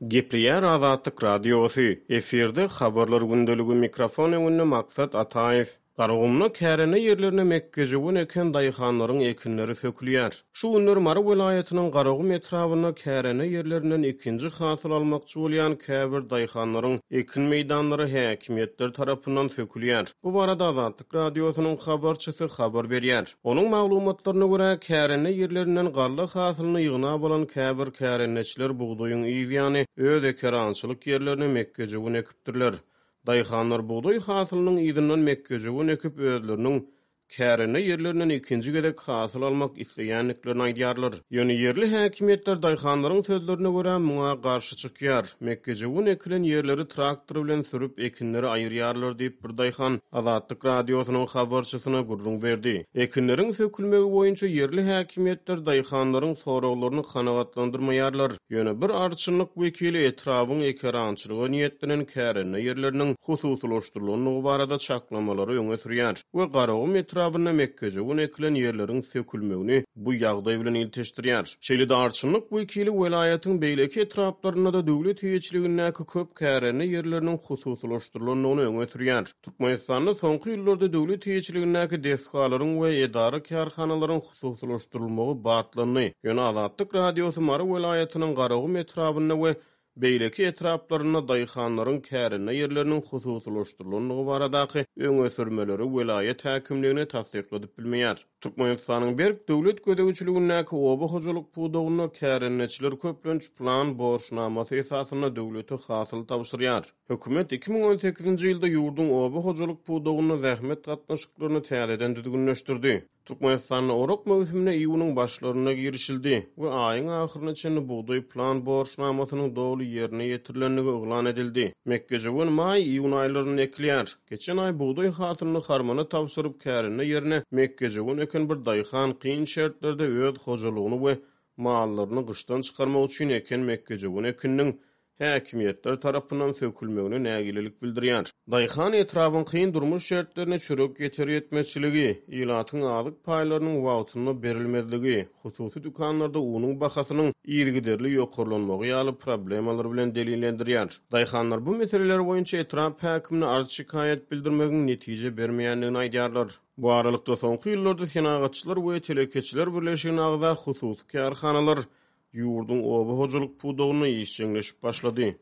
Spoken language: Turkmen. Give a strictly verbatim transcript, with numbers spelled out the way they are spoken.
Gepleýär Azatlyk Radiosy, efirde Habarlar gündeligi, mikrofon öňünde Maksat Ataýew. Garagumda kärende ýerlerine mekgejöwen eken daýhanlaryň ekinleri sökülýär. Şu günler Mary welaýatynyň Garagum etrabynda kärende ýerlerinden ikinji hasyl almakçy bolýan käbir daýhanlaryň ekin meýdanlary häkimiýetler tarapyndan sökülýär. Bu barada Azatlyk Radiosynyň habarçysy habar berýär. Onuň maglumatlaryna görä, kärende ýerlerinden galla hasylyny ýygnap alan käbir kärendeçiler bugdaýyň yz ýany öz ekerançylyk ýerlerine mekgejöwen ekipdirler. Daýhanlar bugdaý hasylynyň yzyndan mekgejöwen ekip, özleriniň kärende ýerlerinden ikinji gezek hasyl almak isleýändiklerini aýdýarlar. Ýöne ýerli häkimiýetler daýhanlaryň sözlerine görä muňa garşy çykýar. Mekgejöwen ekilen ýerleri traktor bilen sürüp ekinleri aýyrýarlar diýip bir daýhan Azatlyk Radiosynyň habarçysyna gürrüň berdi. Ekinleriň sökülmegi boýunça ýerli häkimiýetler daýhanlaryň soraglaryny kanagatlandyrmaýarlar. Ýöne bir arçynlyk wekili etrabyň ekerançylyga niýetlenen kärende ýerleriniň hususylaşdyrylandygy barada çaklamalary öňe sürýär we Garagum etrabynda mekgejöwen ekilen ýerleriň sökülmegini bu ýagdaý bilen ilteşdirýär. Şeýle-de arçynlyk wekili welaýatyň beýleki etraplarynda-da döwlet eýeçiligindäki köp kärende ýerleriniň hususylaşdyrylandygyny öňe sürýär. Türkmenistanda soňky ýyllarda döwlet eýeçiligindäki desgalaryň we edara-kärhanalaryň hususylaşdyrylmagy batlandy. Ýöne Azatlyk Radiosy Mary welaýatynyň Garagum etrabynda we beýleki etraplarynda daýhanlaryň kärende ýerleriniň hususylaşdyrylandygy baradaky öňe sürmeleri welaýat häkimligine tassykladyp bilmeýär. Türkmenistanyň berk döwlet gözegçiligindäki oba hojalyk pudagynda kärendeçiler köplenç plan borçnamasy esasynda döwlete hasyl tabşyrýar. Hökümet iki müň on sekizinji ýylda ýurduň oba hojalyk pudagynda zähmet gatnaşyklaryny täzeden düzgünleşdirdi. Türkmenistanda orak möwsümine iýunyň başlarynda girişildi we aýyň ahyryna çenli bugdaý plan borçnamasynyň doly ýerine ýetirilendigi yglan edildi. Mekgejöwen maý iýun aýlarynda ekilýär. Geçen aý bugdaý hasylyny harmana tabşyryp kärende ýerine mekgejöwen eken bir daýhan kyn şertlerde öz hojalygyny we mallaryny gyşdan çykarmak üçin eken mekgejöwen ekininiň häkimiýetler tarapyndan sökülmegine nägilelik bildirýär. Daýhan etrabyň kyn durmuş şertlerine çörek ýeter ýetmezçiligi, ilatyň azyk paýlarynyň wagtynda berilmezligi, hususy dükanlarda unuň bahasynyň yzygiderli ýokarlanmagy ýaly problemalar bilen delillendirýär. Daýhanlar bu meseleler boýunça etrap häkimine arz şikaýat bildirmegiň netije bermeýändigini aýdýarlar. Bu aralykda soňky ýyllarda Senagatçylar we Telekeçiler birleşigine agza hususy kärhanalar ýurduň oba hojalyk pudagynda işjeňleşip başlady.